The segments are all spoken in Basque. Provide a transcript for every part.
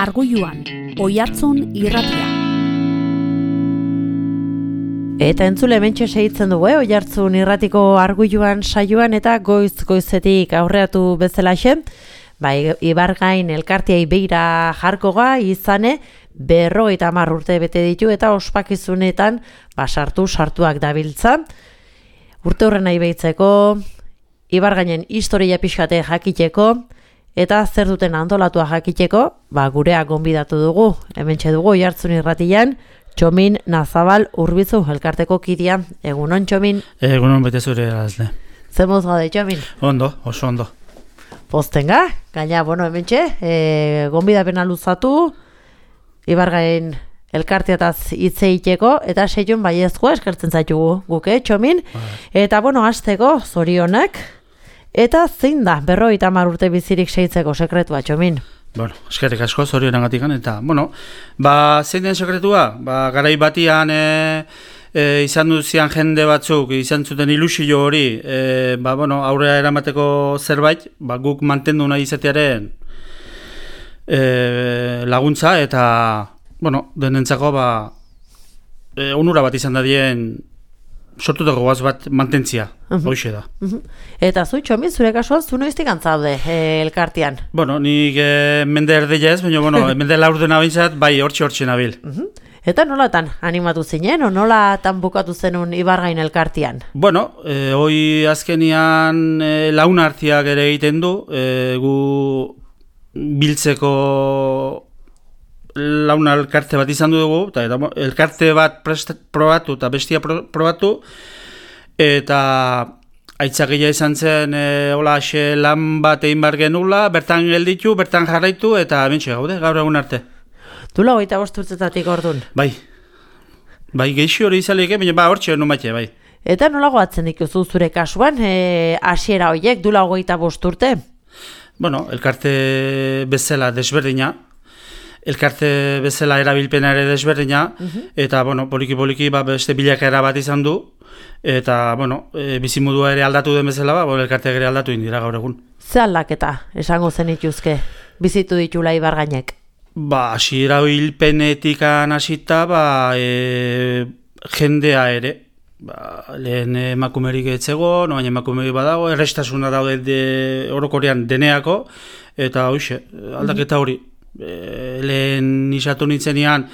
Argoiluan, Oihartzun irratia. Eta entzule hementxe segitzen dugu, Oihartzun irratiko Argoiluan saioan eta goizetik aurreatu bezalaxe, Ibargain elkartiai beira jarkoga izane 50 urte bete ditu eta ospakizunetan sartuak dabiltza. Urte horren nahi behitzeko, Ibargainen historia pixkate jakiteko, eta zer duten antolatua jakiteko, gurea gonbidatu dugu, hementxe dugu Oihartzun irratian, Txomin Nazabal Urbizu elkarteko kidea. Egunon, Txomin? Egunon, bete zure erazle. Zer moz gaude, Txomin? Ondo, oso ondo. Postenga, gaina, hementxe, gonbidapena luzatu, Ibargain elkarteataz hitz egiteko, eta seion baiezkoa eskertzen zaitugu guke, Txomin. Eta, hasteko, zorionak, eta zein da, 50 urte bizirik seitzeko sekretua, Txomin? Eskerrik asko, zorionagatikan, eta, zein den sekretua? Garai batian izan duzian jende batzuk, izan zuten ilusio hori, aurrera eramateko zerbait, guk mantendu nahi izatearen laguntza, eta, denentzako, onura bat izan dadien sortutako goaz bat mantentzia, hoxe da. Eta zu, Txomin, zure kasuan, zu noiztik antzaude elkartean? Nik mende erdeia ez, baina, mende laurdena bintzat, hortxe nabil. Eta nolatan animatu zinen, o nolatan bukatu zenun Ibargain elkartean? Hoi azkenian launartiak ere egiten du, gu biltzeko launa elkarte bat izan dugu, eta elkarte bat probatu eta bestia probatu, eta aitzakia izan zen lan bat egin behar genula, bertan gelditu, bertan jarraitu, eta bentsi gaude, gaur egun arte. Dula 25 urtetatik ordun? Bai geixi hori izaleik, baina hortxe hori numatxe, bai. Eta nola goatzen dikuzu zure kasuan, hasiera horiek, dula 25 urte? Elkarte bezala desberdina, elkarte bezala erabilpena ere desberdina, eta poliki beste bilakaera bat izan du, eta bizimodua ere aldatu den bezala, elkarteak ere aldatu indira gaur egun. Ze aldaketa esango zen ituzke, bizitu ditula Ibargainek? Hasiera hilpenetik hasita, jendea ere, lehen emakumerik etzegon, baina emakumerik badago, errestasuna daude orokorean deneako, eta hoxe, aldaketa hori. Lehen isatu nintzenean,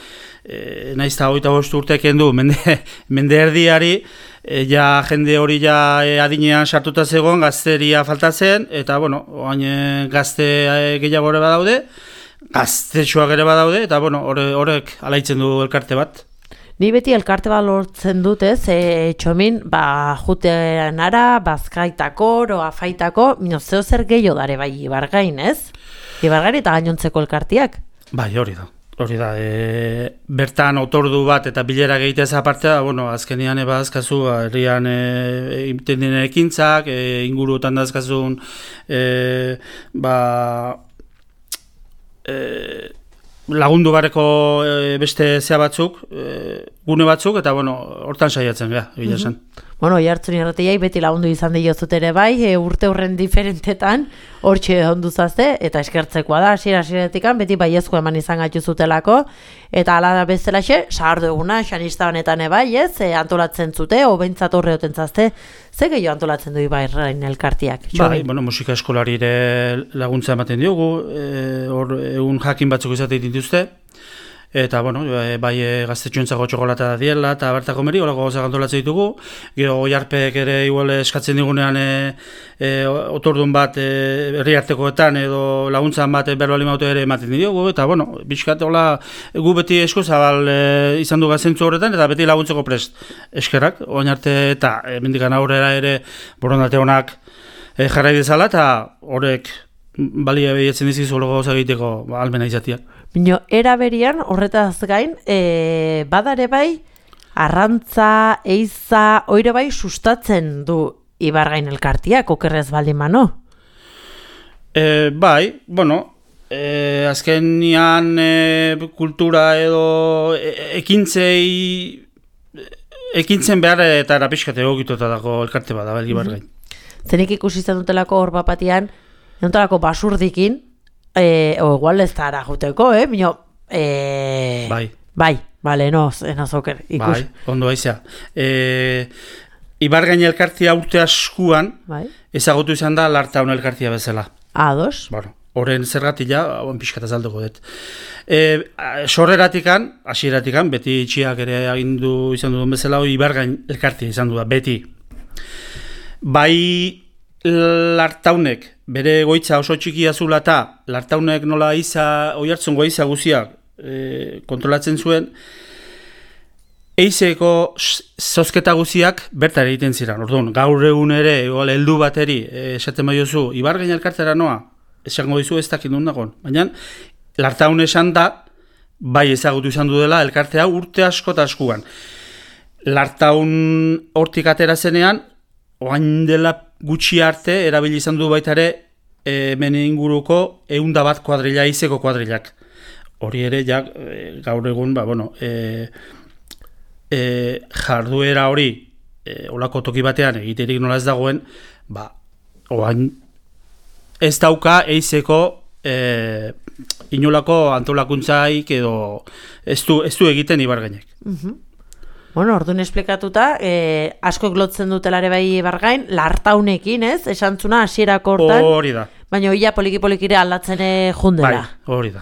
nahiz eta 25 urteken du, mende erdiari, jende hori adinean sartuta zegoen, gazteria faltatzen, eta gazte gehiago ere badaude, gaztetxoak ere badaude, eta horrek alaitzen du elkarte bat. Ni beti elkarte bat lortzen dut, Txomin, jutean ara, bazkaitako, afaitako, zeo zer gehiago dare bai Ibargain, ez? Ibargain eta gainontzeko elkartiak? Hori da. Bertan otordu bat eta bilera gehitez apartea, azkenian azkazu, herrian egiten dinen ekintzak, inguruetan da azkazun, lagundu bareko beste zea batzuk, gune batzuk, eta hortan saiatzen gara, egila zen. Oihartzun irratiai beti lagundu izan diozut ere bai, urte horren diferentetan, hortxe onduzazte, eta eskertzekoa da, hasiera-hasieratik beti baiezko eman izan gaitu eta ala da bezalaxe, sahardu eguna, xanista honetan bai, antolatzen zute, obentzat horre otentzazte, ze gehiago antolatzen du Ibargain elkartiak? Musika eskolari ere laguntza ematen diogu, egun jakin batzuk izatea dituzte, eta, bai gaztetxoentzako txokolata da diela, eta bertako meri, horako gozak antolatzen ditugu, gero jarpek ere igual eskatzen digunean otordun bat herri artekoetan edo laguntzan bat berbali maute ere ematen diogu, eta, bizkat, gu beti esko zabal izan du gazentzu horretan, eta beti laguntzeko prest eskerrak, oain arte, eta mendikan aurrera ere borondate honak jarrai dezala, eta horrek balia behietzen dizizu horrego gauza egiteko almena izatiak. Era berian, horretaz gain, badare bai, arrantza, eiza, oire bai sustatzen du Ibargain elkartiak, okerrez baldin mano? Azkenian kultura edo ekintzen behar eta erapiskate egokituta dago elkarte bat da, Ibargain. Zenik ikusi zen dutelako hor bapatian, enontalako basurdikin, igual ez da ara juteko, Mino, Bai, bale, zoker, ikus. Bai, ondo aizea. Ibargain elkartia urte askuan, ezagutu izan da Lartaun elkartia bezala. Ados. Bueno, horren zergatila, hauen pixkat azalduko dut. Sorreratikan, hasieratikan, beti itxiak ere agindu izan duen bezala, Ibargain elkartia izan du da, beti. Bai Lartaunek, bere goitza oso txikia zula eta Lartaunek nola Oiartzungo eiza guziak kontrolatzen zuen, eizeko zozketa guziak bertara egiten ziren. Orduan, gaur egun ere, heldu bateri, esaten baiozu, Ibargain elkartera noa, esango dizu ez dakit nun dagoen. Baina, Lartaun esan da, bai ezagutu izan du dela, elkartea urte asko eta askuan. Lartaun hortik atera zenean, oain dela gutxi arte, erabili izan du baita ere, hemen inguruko 101 kuadrilla, eizeko kuadrillak. Hori ere, gaur egun, jarduera hori olako toki batean egiterik nola ez dagoen, oain ez dauka eizeko inolako antolakuntzaik edo ez du egiten Ibargainek. Bueno, orduan esplikatuta, askok lotzen dutelare bai Ibargain, Lartaunekin, ez? Esantzuna hasierako hortan. Hori da. Baina ia poliki-polikire aldatzen jundela. Bai, hori da.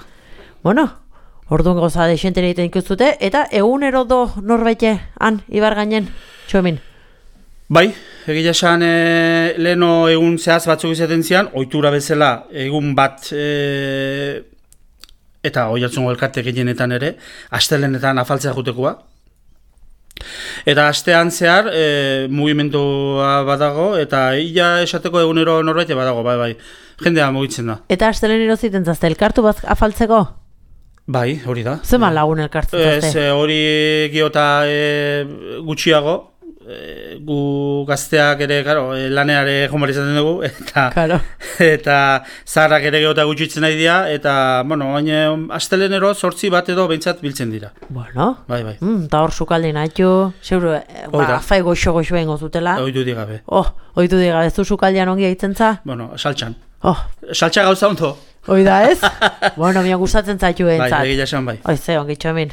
Bueno, orduan goza desentera egiten ikustute, eta egunero do norbaite han Ibargainen, Txomin? Bai, egia esan leheno egun zehaz batzuk izaten zian, ohitura bezala egun bat eta Oiartzungo elkarte gehienetan ere, astelenetan afaltzea jutekoa. Eta astean zehar mugimendua badago, eta ia esateko egunero norbaite badago, bai, jendea mugitzen da. Eta astelenero ziten zazte, elkartu bat afaltzeko? Bai, hori da. Zeman lagun elkartzen zazte? Ez, hori giota gutxiago, gu gazteak ere, laneare jomar izaten dugu, eta zaharrak ere giota gutxitzen nahi dira, eta, astelenero 8 bat edo behintzat biltzen dira. Bueno, bai. Eta hor sukaldi nahitu, zeuro, fai goxo bengo zutela. Oitu digabe. Oitu digabe, ez du sukaldian ongi egiten za? Saltxan. Saltxa gauza ondo. Oida ez? Mian gustatzen zaitu entzat. Bai, egia esan bai. Oize, ongi Txomin.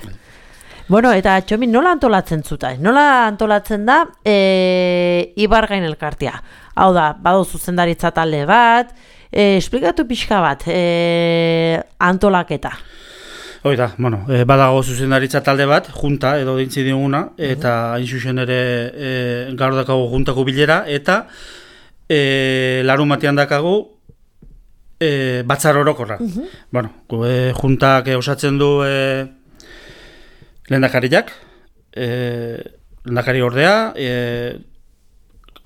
Bueno, eta Txomin, nola antolatzen zuta? Nola antolatzen da Ibargain elkartea? Hau da, badu zuzendaritza talde bat, esplikatu pixka bat antolaketa. Oida, badago zuzendaritza talde bat, junta edo dintzi diguna, eta hain zuzen ere gaur dakago juntako bilera, eta larun batean dakagu batzar orokorra. Juntak osatzen du lehendakariak, lehendakari ordea,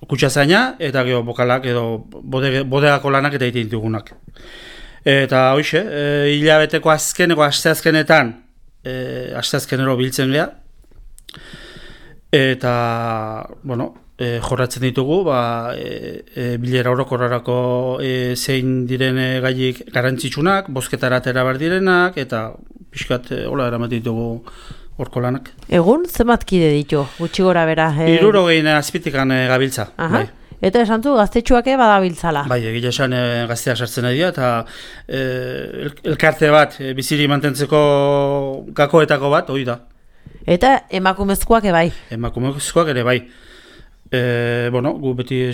kutxazaina, eta bokalak edo bodegako lanak eta egiten ditugunak. Eta hoxe, hilabeteko asteazkenetan, asteazkenero biltzen geha, eta, jorratzen ditugu, bilera orokorrarako zein diren gaiik garantzitsunak, bozketara atera behar direnak, eta pixkat hola eramaten ditugu horko lanak. Egun, zenbat kide ditu, gutxi gora bera? 60 azpitikan gabiltza. Bai. Eta esan du, gaztetxuak badabiltzala. Bai, egia esan gazteak sartzen nahi dira, eta elkarte bat, biziri mantentzeko gakoetako bat, hori da. Eta emakumezkoak bai? Emakumezkoak ere bai. Gu beti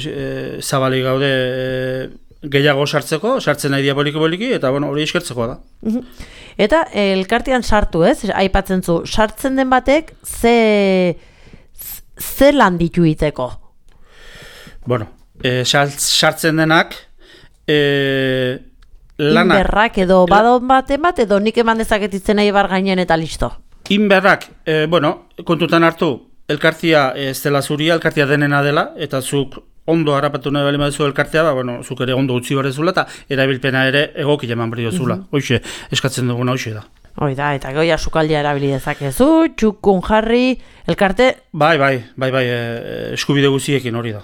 zabalik gaude gehiago sartzen nahi dira poliki-poliki, eta hori eskertzekoa da. Eta elkartean sartu ez, aipatzen zu, sartzen den batek ze lan ditu iteko? Sartzen denak lanak... Inberrak edo badon baten bat, edo nik eman dezaketitzen nahi Ibargainen eta listo? Inberrak, kontutan hartu, elkartia ez dela zuria, elkartia denena dela, eta zuk ondo harrapatu nahi bali madezu elkartea, zuk ere ondo utzi barrezula, eta erabilpena ere egoki eman bari dozula. Hoxe, eskatzen duguna hoxe da. Hoi da, eta goia sukaldia erabili dezakezu, txukun jarri, elkarte... Bai, eskubide guziekin hori da.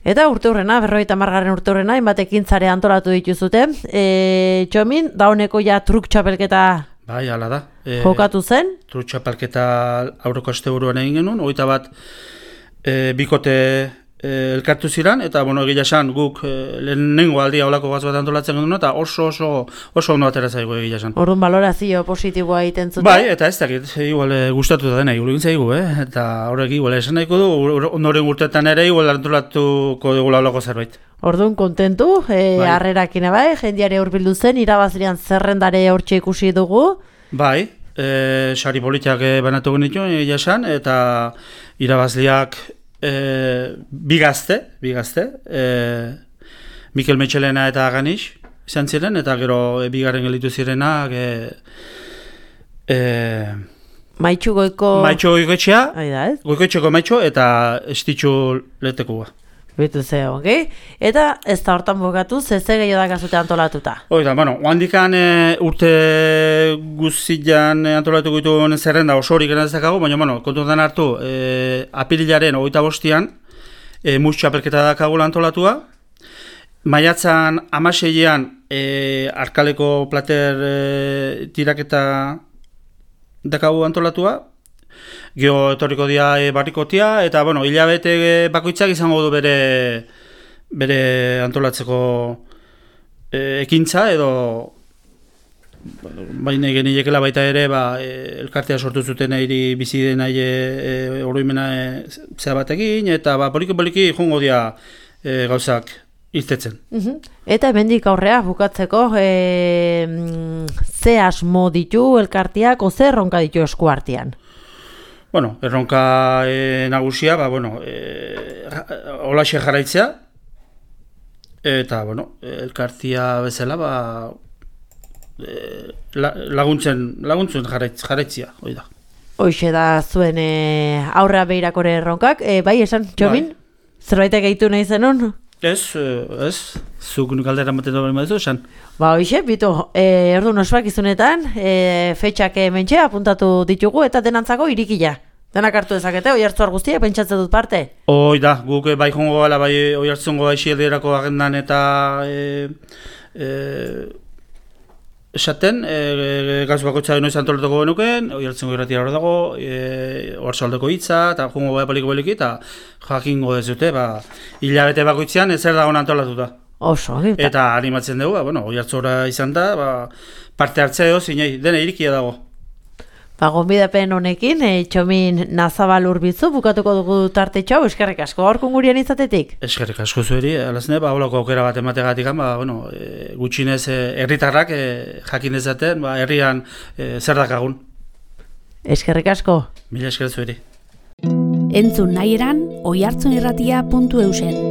Eta urteurrena, 50. urteurrena, inbatekin zare antolatu dituzute. Txomin, dauneko truk txapelketa bai, ala da. Jokatu zen? Truk txapelketa aurreko asteburuan egin genuen, 21 bikote elkartu ziren, eta bueno, egia esan guk lehenengo aldia olako gaz bat antolatzen genuen, eta oso ondo atera zaigu egia esan. Orduan balorazio positiboa egiten zuten? Bai, eta ez dakit, igual gustatu da dena, igual zaigu, eta horrek igual esan nahiko du, ondoren urtetan ere igual antolatuko dugula olako zerbait. Orduan kontentu, harrerakin bai, jendiare hurbildu zen, irabazlean zerrendare hortxe ikusi dugu. Bai, sari politak banatu genitu, egia esan, eta irabazleak bi gazte, Mikel Metxelena eta Ganix izan ziren, eta gero bigarren gelitu zirenak Maitxu Goikoetxea, Goikoetxeko Maitxu eta Estitxu Letekua. Bitu ze, okay? Eta ez da hortan bukatu, ze gehiago da gazute antolatuta? Oida, bueno, handikan urte guztian antolatu gitu zerrenda osorik enazakago, baina, bueno, kontutan hartu, apirilaren 25an, txapelketa dakagula antolatua, maiatzan 16an, Arkaleko plater tiraketa dakagu antolatua, gero etorriko dia barrikotia, eta bueno, hilabete bakoitzak izango du bere antolatzeko ekintza, edo baina geniekela baita ere elkartea sortu zuten hiri bizi den oroimena zea batekin, eta poliki jongo dia gauzak irtetzen. Eta hemendik aurrea bukatzeko ze asmo ditu elkarteak, o ze erronka ditu eskuartean? Bueno, erronka nagusia, holaxe jarraitzea, eta, bueno, elkartia bezala, laguntzen jarraitzea, hori da. Hoixe da zuen aurrea behirakore erronkak, bai, esan, Txomin? Zerbaitek gehitu nahi zenun? Ez, zuk galdera maten doben baduzu, esan. Hoixe, bitu, ordu nosuak izunetan, fetxak mentxe apuntatu ditugu eta denantzako irikila. Denak hartu dezakete, Oiartzun guztiak pentsatzen dut parte? Hoi da, guk bai jongo gala, bai Oiartzungo aixilderako agendan eta esaten, gauz bakoitza noiz antolatuko genuken, Oiartzungo irratia hor dago, Oarsoaldeko hitza, eta jongo bai poliki, eta jakingo dezute, hilabete bakoitzean ezer dagoen antolatuta. Oso, eta animatzen dugu, Oiartzura izan da, parte hartzea zinei, dena irikia dago. Gonbidapen honekin, Txomin Nazabal Urbizu, bukatuko dugu tartetxo, eskerrik asko gaurko gurian izatetik. Eskerrik asko zueri, alazne, holako aukera bat emategatik, gutxinez herritarrak jakin dezaten, herrian zer dakagun. Eskerrik asko. Mila esker zueri. Entzun nahi eran, oiartzunirratia.eusen.